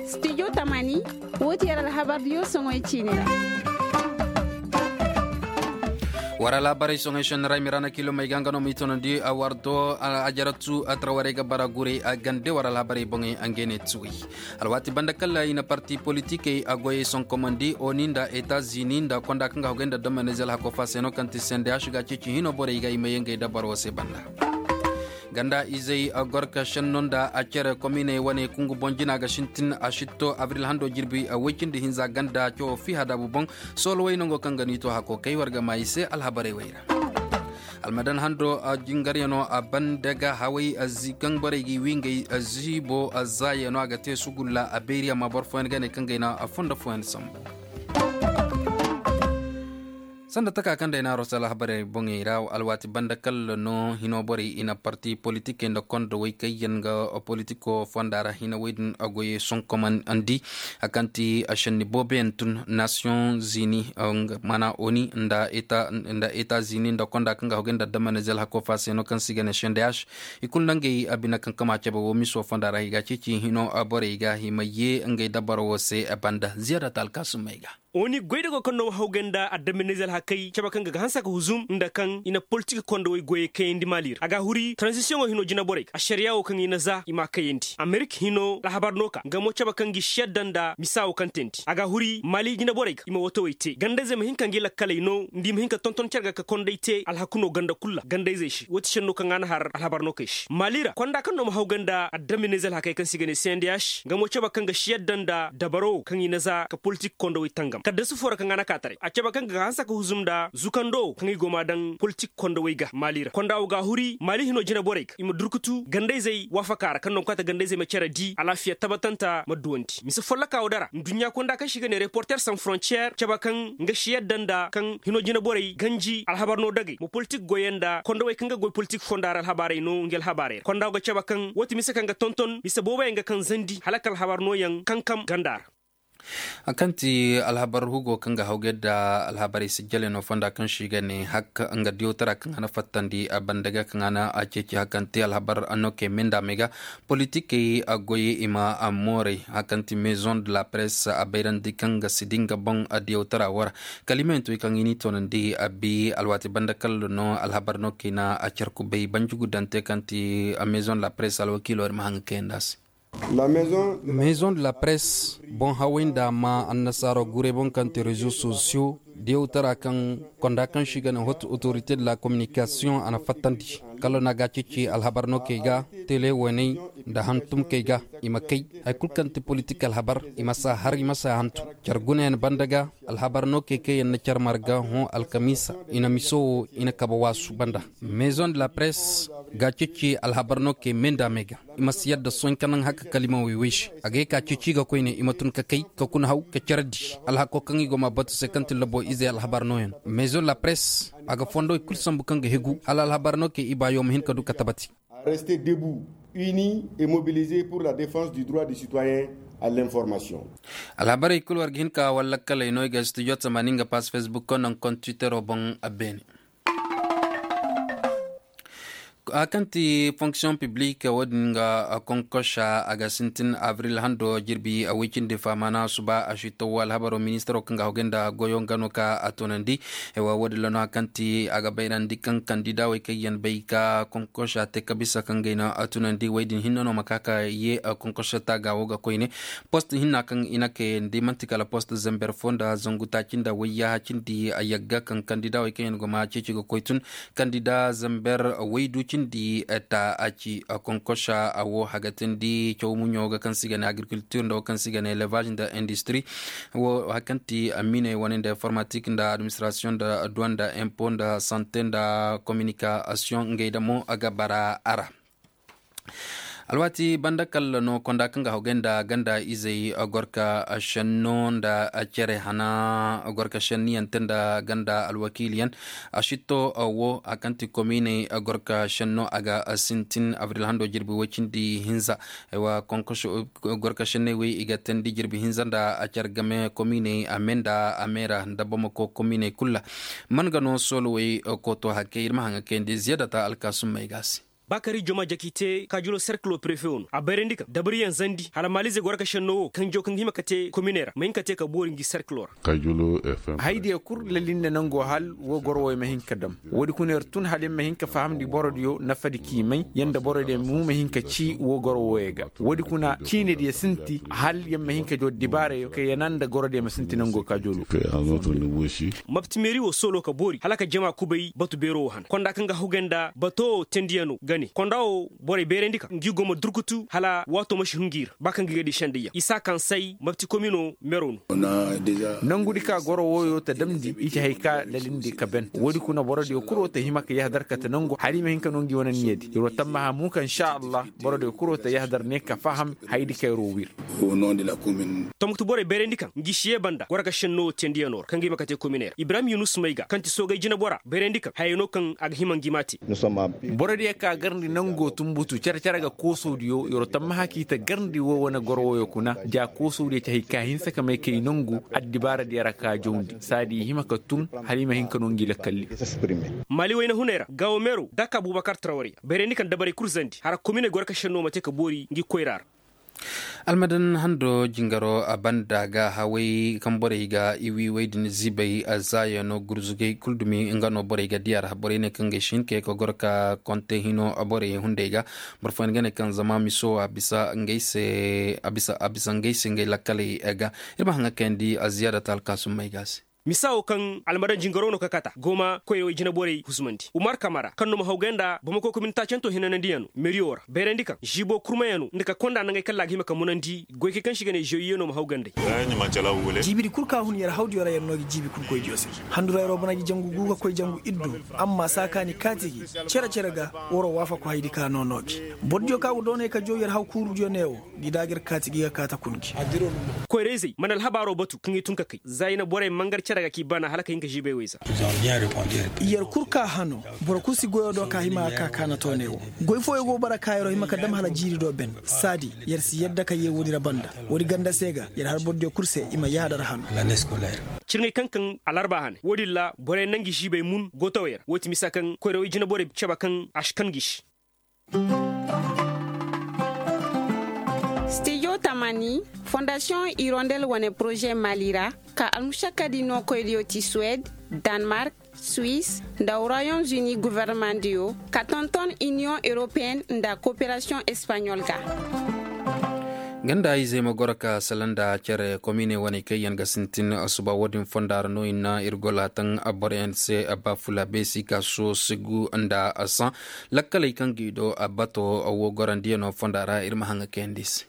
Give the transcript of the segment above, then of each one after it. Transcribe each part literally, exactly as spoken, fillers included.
Studio tamani, wo ti yar alhabar diyo soŋoy ciine ra. War alhabarey soŋoy senni ra i ma ra na kilo may ga nga no ma i tonandi a war do a jaratu a tara warey ga bara gurey a gande war alhabarey boŋey a ngey ne tuwey. Alwaati banda kala i na parti politikey a goyey sonkomandi oni nda etazini nda konda kaŋ ga hogay nda domene zelhako fa se no kaŋ ti sendeyaš ga ceeci hino borey ga i ma ye ngey dabaro se banda. Ganda izey gorka senno nda a cere kominey wane kungu boŋ jina ga sintin a sitto abril hando jirbi woy cindi hinza ganda cawo fiha daabu boŋ. Soolo way nango kaŋ ga ni to hako kay war ga ma i se alhabarey way ra. Almadan hando jingaryano a banda ga haway kaŋ borey ga i wi ngey ziibo zaayano a ga te sugulla a beeri amma boro fooyaŋ ga ne kaŋ ga ay na a fondo fooyaŋ sambu. Sanda taka kaŋ day na a rosa alhabarey boŋey ra alwaati banda kalla no hino borey i na parti politikey nda kondo way kaŋ yaŋ ga politiko fonda ra hina way din a goyey sonkomandi. A kaŋ ti a senni booboyaŋ tun nasiyoŋ zini mana oni nda eta zini nda konda kaŋ ga hogay nda damanizel hako fa se no kaŋ se i ga ne sendeyaš. I kulu nda ngey a bine kaŋ kama cabe wo miso fonda ra i ga ceeci hino borey ga i ma ye ngey dabaro wo se banda ziyada ta alkaasumey ga. Oni goy da go kaŋ no ma hawgay nda adaminize alhakey cabe kaŋ ga ga hanse ka huzum nda kaŋ i na politik kondowey goyey kayandi mali ra a ga huri taranzisiyoŋo hino jinaborey ga ašariya wo kaŋ i na za i m'a kayandi amerik hino alhabar no ka nga mo cabe kaŋ ga i si yadda nda misa wo kaŋ teendi a ga huri mali jinaborey ga i ma wootowey te ganda-izey ma hin ka ngi lakkaley no nda i ma hin ka tonton care ga ka kondey te alhaku no ganda kulu ra ganda-izey se wo ti senno kaŋ a na har alhabar no kay se mali ra konda kaŋ no ma hawgay nda adaminize alhakey kaŋ se i ga ne sendeyaš nga mo cabe kaŋ ga si yadda nda dabaro kaŋ i na za ka politik kondowey tangam kaddasu foo ra kaŋ a na ka taray a cabe kaŋ ga hanse ka huzum nda zukando kaŋ i go m'a daŋ politik kondowey ga mali ra konda wo ga a huri mali hino jinaborey ga i ma durkutu ganda-izey waafaka ra kaŋ no ga kaata ganda-izey ma care di alaafiya tabatanta ma duwandi mise folloka wo dara nduɲɲa konda kaŋ se i ga ne reporter san frontiyer cabe kaŋ nga si yadda nda kaŋ hino jinaborey ganji alhabar no dagey ma politik goyey nda kondowey kaŋ ga goy politik fonda ra alhabarey no ngi alhabarey ra konda wo ga cabe kaŋ wo ti mise kaŋ ga tonton mise booboyaŋ ga kaŋ zandi hala ka alhabar nooyaŋ kankam ganda ra. A kaŋ ti alhabar hugo kaŋ ga hawgay nda alhabarey sijjaley no fonda kaŋ se i ga ne hakka nga diyawtara kaŋ a na fattandi a banda ga kaŋ a na a ceeci hakka nte alhabar a no kay menda me ga politikey a goy i ma a mooray hakka nte maison de la presse a bayrandi kaŋ ga si di nga boŋ a diyawtara wo ra. Kala i ma hin to i kaŋ i n'i toonandi a bi alwaati banda kala no alhabar no kay na a care kubay banjugu dante kaŋ ti a maison de la presse alwakiilo ir ma haŋ ga kayandi a se. Maison de la presse boŋ haway nda ma annasaaro guray boŋ kaŋ ti rezo sosiyo diyawtara kaŋ konda kaŋ se i ga ne hot autorite de la communication a na fattandi kala no a ga a ceeci alhabar no kay ga tele waney nda hantum kay ga i ma kay hari kulu kaŋ ti politik alhabar i ma si a har i ma si a hantum care gunayaŋ banda ga alhabar no kay kaŋ yaŋ na care marga hõ alkamiisa i na miso wo i na kabe waasu banda. Maison de la presse ga a ceeci alhabar no kay me nda me ga i ma si yadda sohõ ka naŋ haka kala i ma woy woy se a ga ye ka ceeci ga koyne i ma tun ka kay ka kuna haw ka care di alhako kaŋ i go ma batu se kaŋ ti labo izey alhabar nooyaŋ. Maison de la presse a ga fondo i kulu sambu kaŋ ga hegu hala alhabar no kay i baayo ma hin ka du ka tabati. Reste debout, uni et mobilisé pour la défense du droit du citoyen à l'information. Alhabarey kulu war ga hin ka walla kaley no i ga studio tamani nga pass facebook ko naŋ kon twittero boŋ a beene. A kaŋ ti fonction publique wo-din ga konkosa a ga sintin abril hando jirbi a wicindi faamana suba a si tawo alhabaro ministaro kaŋ ga hogay nda goyo nga no ka a toonandi. Wo-din ra no a kaŋ ti a ga bayrandi kaŋ kandidawey kaŋ yaŋ bay ka konkosa te ka bisa kaŋ gay no a toonandi wey din hinne no ma ka ka ye konkosa taaga wo ga koyne. Post hinna kaŋ i na kayandi manti kala post zamber fo nda zangu taaci nda wayyaha cindi a yagga kaŋ kandidawey kaŋ yaŋ go ma ceeci ga koy tun. Kandida zamber waydu cindi ta a ci konkosa a wo hagatandi caw muɲo ga kaŋ se i ga ne agriculture nda wo kaŋ se i ga ne élevage nda industrie. Wo hari kaŋ ti aminey wane nda informatique nda administration nda douane nda impo nda santé nda communication ngey damo a ga bara a ra. Alwaati banda kalla no konda kaŋ ga hogay nda ganda izey gorka shenno nda cere hana gorka shenniyaŋ te nda ganda alwakiiliyaŋ. A sitto wo a kaŋ ti komiiney gorka shenno a ga sintin abril hando jirbi woy cindi hinza. Aywa konkoso gorka shenney wey i ga teendi jirbi hinza nda a care game komiiney a me nda a meera nda bamako komiiney kulu ra. Man ga no soolowey kooto hakkey ir ma haŋ ga kayandi ziyadata alkaasummey ga a se. Ba ka ri joma jaki te kaajuloo serkiloo prefe wo no a bayrandi kaŋ dabariyaŋ zandi hala maalizey goro ka šennoo wo kaŋ jaw kaŋ ga hima ka te kominey ra ma hin ka te ka boori ngi serkiloo ra. Haydiyo kul lalinde nangoo hal woo goro wooyo ma hin ka dam. Woodi kuna yer tun hala yer ma hin ka fahamndi borodiyo nafadi k'i may yer nda borodiyo mo ma hin ka cii woo goro wooyo ga. Woodi kuna ciinediyo sinti hal yer ma hin ka joo dibaarayo ka yana nda gorodiyo ma sinti nangoo kaajoloo. Mapti meeri woo sooloo ka boori hala ka jama kubay batu beeroo woo han konda kaŋ ga hugay nda batoo tendiyanoo ga ne konda woo borey beerandi ka ngi go ma durkutu hala waatoo ma si hungu i ra ba kaŋ ga i ga dii sendayyaŋ isa kaŋ say mapti komino meroo no. Nangudi ka goro wooyo ta damndi i ci hay ka lalindi ka ben woodi kuna borodiyo kuroo ta hima ka yahadar kate nangu hari ma hin ka no ngi wane niyadi ir wa tammaha mu ka insa allah. Borodiyo kuroo ta yahadar ne ka faham haydi kayroo wir. Tomkti borey bayrandi kaŋ ngi si yee banda goro ka senno wo tendiyanoo ra kaŋ ga hima ka te kominey ra ibrahim yunus may ga kaŋ ti soogay jineboraa bayrandi kaŋ hayey no kaŋ a ga hima ngi m'a te. Borodiyo ka garndi nangoo tunbutu cere-cere ga koosoodiyo yeroo tammaha k'i ta garndi woo wane goro wooyo kuna ja koosoodiyo ci hay ka hinsa ka may kay nongu addibaaradiyo ra ka jawndi saadi i hima ka tun hala i ma hin ka no ngi lakkalli. Maali wayna hunay ra gaawo meeroo daka buubakar trawariya bayrandi kaŋ dabarey kul zandi hara kominey goro ka senno ma te ka boori ngi koyraa ra. Almadan hando jingaro a banda ga haway kaŋ borey ga i wi way din zibay a zaayano gurzugay kul dumi nga no borey ga diya ra borey ne kaŋ ga i si hin ka ye ka goro ka konte hino borey hunday ga. Boro fooyaŋ ga ne kaŋ zama miso a bisa ngey se a bisa ngey se ngey lakkaley ga. Ir ma haŋa kayandi a ziyaada ta alkaasum may ga se. Misa wo kaŋ almadan jingaro no ka kata gooma koyrawey jinaborey husumandi umar kamara kaŋ no ma hawgay nda bamako komin taacantoo hinanandiyaŋ no meriyo ra bayrandi kaŋ ziibo kurmayaŋ no nda ka konda nangey kaŋ ra a ga hima ka munandi goykey kaŋ se i ga ne zewiye no ma hawgay nd'ey. Jiibidi kul ka hun yer hawdiyo ra yer no ga jiibi kul goydiyo se. Handurayroo bana ga jangu gu ga koy jangu iddu. Amma saakaani kaati gi cere-cere ga waroo waafako haydi ka no no gi. Bordiyo ka go doonay ka jow yer haw kuurudiyo ne wo. Gi da ga ir kaati gi ga kaata kun gi. Koyra-izey mana alhabaaroo batu kaŋ i tun ka kay za i na borey mangar cere ga k'i bana hala ka hin ka žibey woy za. Yer kul ka hano. Boro kul si goyoo do ka hima a ka kaana tooney wo. Goy fooyoo go bara ka yeroo hima ka dam hala jiiri do ben. Saadi yer si yadda ka yee woodi ra banda. Woodi ganda se ga yer har borodiyo kul se i ma yaadar hano. Cirŋey kaŋ kaŋ alarba hane woodin ra borey na ngi žibey mun gootawey ra woo ti misa kaŋ koyrawey jinaborey caba kaŋ a si kan gi se. Stijo tamani fondasiyoŋ irondel wane poroze mali ra ka almušakkadi nookoydiyo ti suwed, danmark, suis, nda royaume-uni governemandiyo ka tonton iniyoŋ europeyen nda koperasiyoŋ espaɲol ga. Ganda izey ma goro ka sala nda cere komine wane kaŋ yaŋ ga sintin suba wo-din fonda ra no i na ir gola taŋ boroyaŋ se. Ba fula beesi ka so sigu nda saŋ lakkaley kaŋ ga i do bato wo gorandiyaŋo fonda ra ir ma haŋa kayandi se.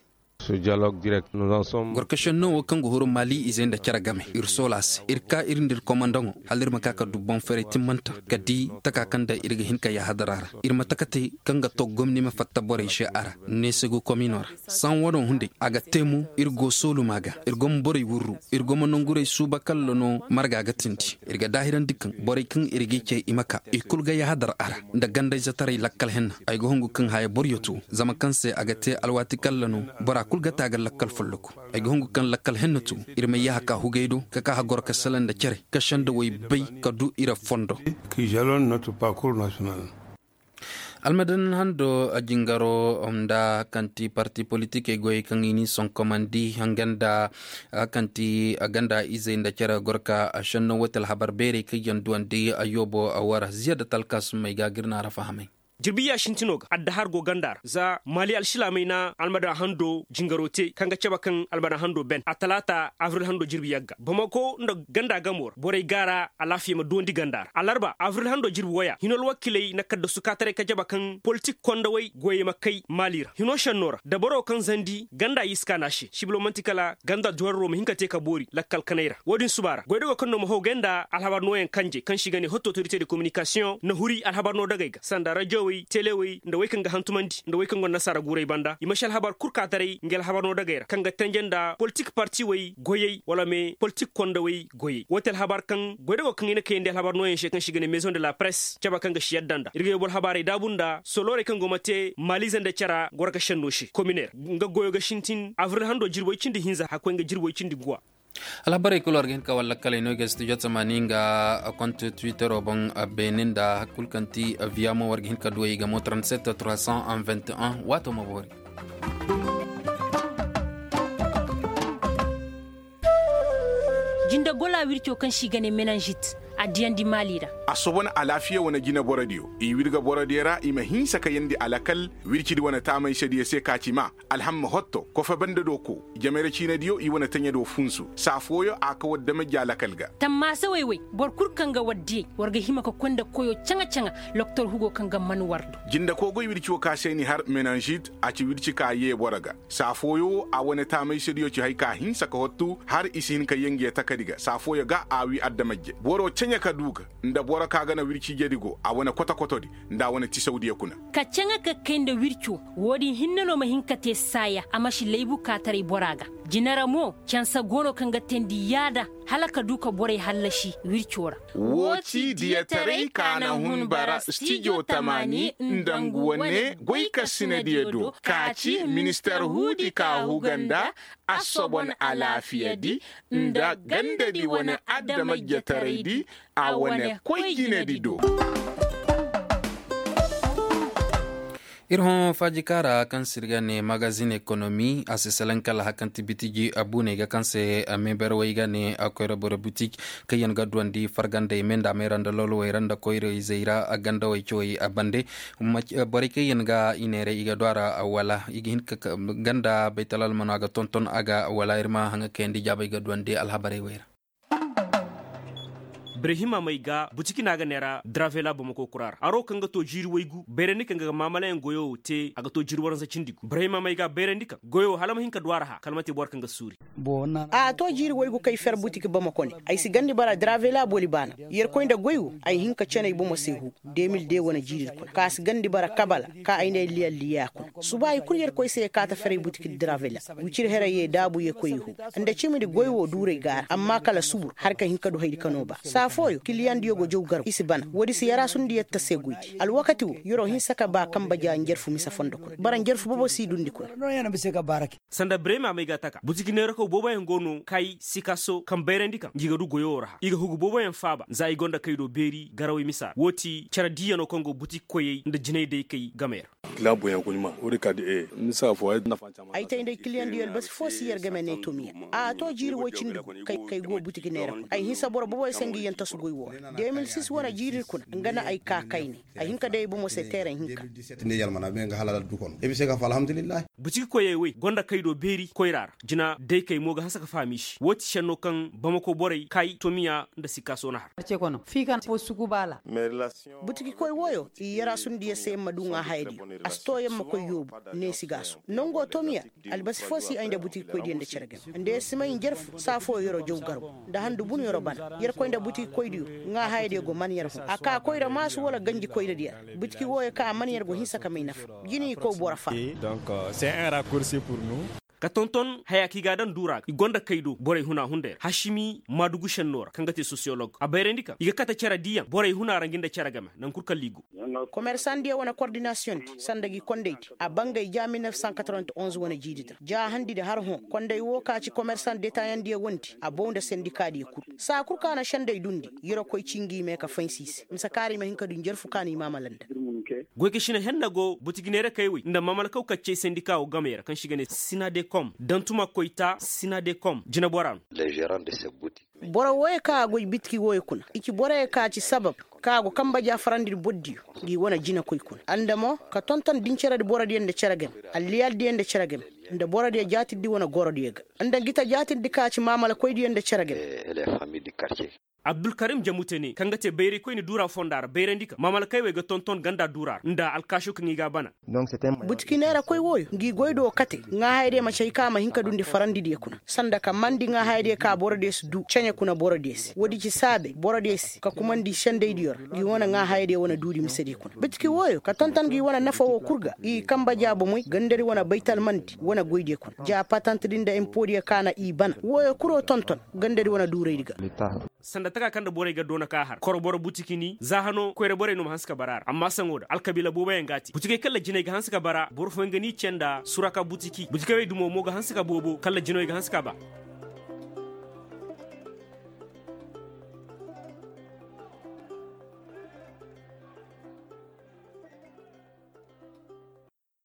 Gorkašenno wo kaŋ ga huru mali izey nda cere game ir soola se ir ka ir nda ir komandaŋo hala ir ma ka ka du boŋ ferey timmanta ka di taka kaŋ da ir ga hin ka yahadara ra. Ir ma taka te kaŋ ga to gomni ma fatta borey se a ra neesegu komino ra. Saŋ wano hunday a ga te mo ir go sooluma ga ir go ma borey wurru ir go ma nonguray suuba kalla no marga ga tindi. Ir ga daahirandi kaŋ borey kaŋ ir g'i cay i ma ka i kul ga yahadar a ra nda gandayzetaray lakkal henna. Ay ga hungu kaŋ haya boryo to zama kaŋ se a ga te alwaati kalla no bora kul ga te a ga lakkal folloku. Ay ga hungu kaŋ lakkal henna to ir ma yaha ka hugay do ka ka hagoro ka sala nda cere ka senda way bay ka du ira fondo. Almadan hando jingaro nda kaŋ ti parti politikey goyey kaŋ i n'i sonkomandi ganda kaŋ ti ganda izey nda cere gorka. Senno wate alhabar beerey kaŋ yaŋ duwandi yoobo wara ziya da talka summey ga ga ir naara fahamay. Jirbi ya sintino ga adda har go ganda ra za mali alsilaamey na almadan hando jingaro te kaŋ ga cabe kaŋ almadan hando ben a talaata abril hando jirbi yagga bamako nda ganda gamo ra borey gaara alaafiya ma duwandi ganda ra alarba abril hando jirbi waya hino alwakiley na kaddasu kaataray ka jaba kaŋ politik kondawey goyey ma kay maali ra hino senno ra dabaro kaŋ zandi ganda yiska na se sibilo man'ti kala ganda duwararo ma hin ka te ka boori lakkal kanay ra wo-din suba ra goydago kaŋ no ma haw gay nda alhabar nooyaŋ kanje kaŋ se i ga ne hotto otorite de kominikasiyoŋ na huri alhabar noo dagey ga sanda rajowey telewey nda wey kaŋ ga hantumandi nda wey kaŋ gonda nasaara guuray banda i ma si alhabar kul ka taray nga alhabar noo dagey ra kaŋ ga tenje nda politik partiwey goyey wala me politik kondawey goyey wo ti alhabar kaŋ goydago kaŋ i na kayandi alhabar nooyaŋ se kaŋ se i ga ne mezoŋ de la press caba kaŋ ga si yadda nda ir ga yobo alhabaarey daabu nda soloorey kaŋ go ma te maaliize nda cara goro ga senno se kominer nga goyo ga sintin abril hando jirbi woy cindi hinza hakkoy nga jirbi woy cindi guwa. Alhabarey kul war ga hin ka walla kaley no i ga studio tamaani nga konte twittero boŋ. Beene nda hari kul kaŋ ti viyamo war ga hin ka duwey i ga mo trente-sept trois cent vingt et un waato ma boori. Jinde gola wirco kaŋ se i ga ne menanžit a diyandi maali ra. A soobandi alaafiya wane jine borodiyo i wirga borodiyo ra i ma hinsa ka yeendi alakal wircidi wane taamaysediyo se ka ci ma alhamma hotto kofe bande do ko. Jamayra ciinediyo i wane taɲa do funsu saa fooyo a ka war damajja alakal ga. Tammaasa woy-woy boro kul kaŋ ga war diyey war ga hima ka koy nda koyo caŋa-caŋa. Loktor hugo kaŋ ga man war do. Jinde koogoy wirco ka se ni har menanžit a ci wirci ka yee boro ga. Saa fooyo wo a wane taamaysediyo ci haya ka hinsa ka hottu har i si hin ka yee nge takadi ga saa fooyo ga a wii adamajje boro ceɲe ka du ga nda boro ka ga na wirci jedi go a wane koto-kotodi nda a wane tisawdiyo kuna. Ka ceŋe ka kay nda wirco. Woodin hinne no ma hin ka te saaya a ma si laybu kaataray bora ga. Jine ra mo cansa go no kaŋ ga teendi yaada hala ka du ka borey hallasi wirco ra. Woo ci diyataray ka na hun bara stijo tamaani nda ngu wane goykasinediyo do ka ci minister huudi ka huga nda assobon alaafiyadi nda gandadi wane adamajjataraydi a wane koy jinedi do. Ir hõ faajikaara kaŋ se ir ga ne magazin ekonomi a si salaŋ kala hari kaŋ ti bitiji abuuney ga kaŋ se meebarwey ga ne koyra boro butik kaŋ yaŋ ga duwandi fargandey me nda meera nda lolowey ra nda koyra izey ra gandawey cawey bande. Borey kaŋ yaŋ ga i neeray i ga du a ra wala i ga hin ka ganda baytal almano a ga tonton a ga wala ir ma haŋa kayandi jaabey ga duwandi alhabarey wey ra. Birahima may ga butiki no a ga neera dravela bamako kura ra haro kaŋ ga to jiiri waygu bayrandi kaŋ ga maamalayaŋ goyo wo te a ga to jiiri waransa cindi gu birahima may ga bayrandi kaŋ goyo wo hala ma hin ka du a ra hã kala ma te boro kaŋ ga suuri. A to jiiri waygu kay fer butiki bamako ne ay si gandi bara dravela boli baana. Yerkoy nda goy wo ay hin ka canay bomo se hu. Demil de wane jiiri kuna ka si gandi bara kabala ka ay ne liyalliya kuna suba i kul yerkoy se ye kaata feray butiki dravela. Wicir heray ye daabu ye koy i hu nda cimidi goy wo duuray gaara amma kala subur har ka hin ka du haydi ka no ba saa fooyo kiliyandiyo go jaw garbu i si bana woodi si yaraasundi yetta se goydi alwakati wo yeroo hinsa ka ba kamba ja njarfu mise fondo kuna bara njarfu boobo si dundi kuna. Sanda birema may ga taka butiki neerakaw booboyaŋ go no kay sikaso kaŋ bayrandi kaŋ ngi ga du goyo wo ra hã i ga hugu booboyaŋ faaba za i gonda kay do beeri garawey misa ra woo ti cere diiyano kaŋ go butiki koyey nda jinay daykey gamey ra. Ay tey nda ay kiliyandiyo albasi foo si yer game ne tomiya. A to jiiri woy cindi gu kay go butiki neera kuna ay hinsa boro booboyaŋ se ngi yaŋ tasu goy wo ra de mil sis wane jiiri kuna nga na ay ka kayne. Ay hin ka day ay bomo se teeraŋ hinka. Butiki koyey wey gonda kaydo beeri koyra ra jina day kay mo ga hanse ka faham i se woo ti šenno kaŋ bamako borey kay tomiya nda sikka soona har. Butiki koy wooyo i yaraasundi yer se yer ma du ŋaa hayadiyo a si too yer ma koy yoobu ne sigaaso nongo tomiya. Albasi foo si ay nda butiki koydiyo nda cere game nda yer si may njarfu saa fooyo yeroo jaw garbu nda handu bunu yeroo bana yer koy nda butiki koydiyo. Ŋaa hayadiyo go man yer hun a kaa koyra maasu wala ganji koyradiyo ra. Butiki wooyo ka a man yer go hinsa ka may nafa jini i kow boro faa. Ka tonton haya kaŋ i ga a daŋ duura ga i gonda kay do borey huna hunday ra hasimi maadugu šenno ra kaŋ ga te sosiyolog a bayrandi kaŋ i ga kate cere diiyaŋ borey huna ra ngi nda cere game naŋ kul kala i go. Komersandiyo wane kordinasiyoŋ di sanda gi kondey di a bangay ja mil nef san katorowent onze wane jiidi di ra ja handi di har hõ kondey woo ka ci komersan detayandiyo wondi a bow nda sendikaadiyo kul saa kul ka na sendey dundi. Yeroo koy ci ngi me ka faynsi i se mise kaara i ma hin ka du njarfu ka no i maamala nda. Goykašina henna go butigi neerakey wey nda maamalakaw kaccey sendika woo gamey ra kaŋ se i ga ne sinadekom dantuma koyta sinadekom jineboraa no. Boro wooyo kaŋ a goy bitiki wooyo kuna i ci boroyo kaŋ a ci sabab kaŋ a go kamba ja farandi bordiyo. Ngi wane jinekoy kuna nda mo ka tonton dinceredi borodiyo nda cere game alliyaldiyo nda cere game nda borodiyo jaatirdi wane gorodiyo ga nda ngi ta jaatirdi kaŋ a ci maamalakoydiyo nda cere game. Abdulkarim jamute ne kaŋ ga te bayraykoyne duura fonda ra bayrandi kaŋ maamalakey wey ga tonton ganda duura ra nda alkaaso kaŋ i ga a bana. Butiki neerakoy wooyo ngi goy do kate ŋaahayadiyo ma cay kaŋ a ma hin ka dundi farandidiyo kuna sanda ka mandi ŋaahayadiyo ka borodiyo si du ceɲe kuna borodiyo se woodi ci saabe borodiyo se ka kumandi sendaydiyo ra ngi wane ŋaahayadiyo wane duudi misediyo kuna butiki wooyo ka tonton ngi wane nafa woo kul ga i kamba jaabomoy gandadi wane baytalmandi wane goydiyo kuna ja patantedi nda impodiyo kaŋ a na i bana wooyo kuloo tonton gandadi wane duuraydi ga. Sanda taka kaŋ nda borey ga doona ka har koroboro butiki ni za hano koyra borey no ma hanse ka bara a ra amma saŋo da alkabiila booboyaŋ ga a te butikey kaŋ nda jinay ga hanse ka bara boro fooyaŋ ga ni ce nda suraka butiki butikey wey dumo mo ga hanse ka boobo kaŋ nda jinawey ga hanse ka ba.